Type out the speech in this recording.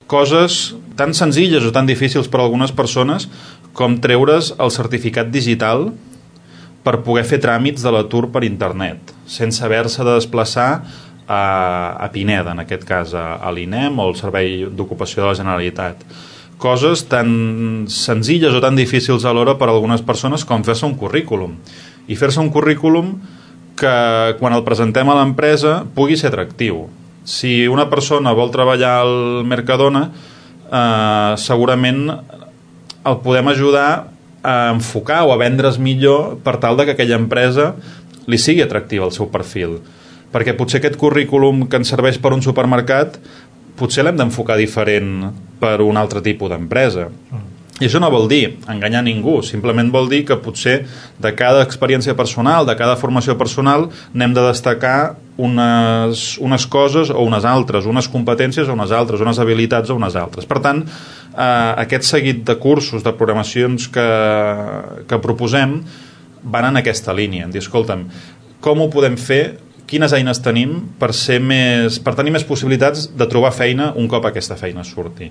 Coses tan senzilles o tan difícils per a algunes persones com treure's el certificat digital per poder fer tràmits de l'atur per internet, sense haver-se de desplaçar a Pineda, en aquest cas a l'INEM o al Servei d'Ocupació de la Generalitat. Coses tan senzilles o tan difícils alhora per a algunes persones com fer-se un currículum. I fer-se un currículum que quan el presentem a l'empresa pugui ser atractiu. Si una persona vol treballar al Mercadona, segurament el podem ajudar a enfocar o a vendre's millor per tal de que aquella empresa li sigui atractiva el seu perfil. Perquè potser aquest currículum que ens serveix per un supermercat potser l'hem d'enfocar diferent per un altre tipus d'empresa. I això no vol dir enganyar ningú, simplement vol dir que potser de cada experiència personal, de cada formació personal, n'hem de destacar unes coses o unes altres, unes competències o unes altres, unes habilitats o unes altres. Per tant, aquest seguit de cursos, de programacions que proposem van en aquesta línia, en dir, escolta'm, com ho podem fer, quines eines tenim per tenir més possibilitats de trobar feina un cop aquesta feina surti.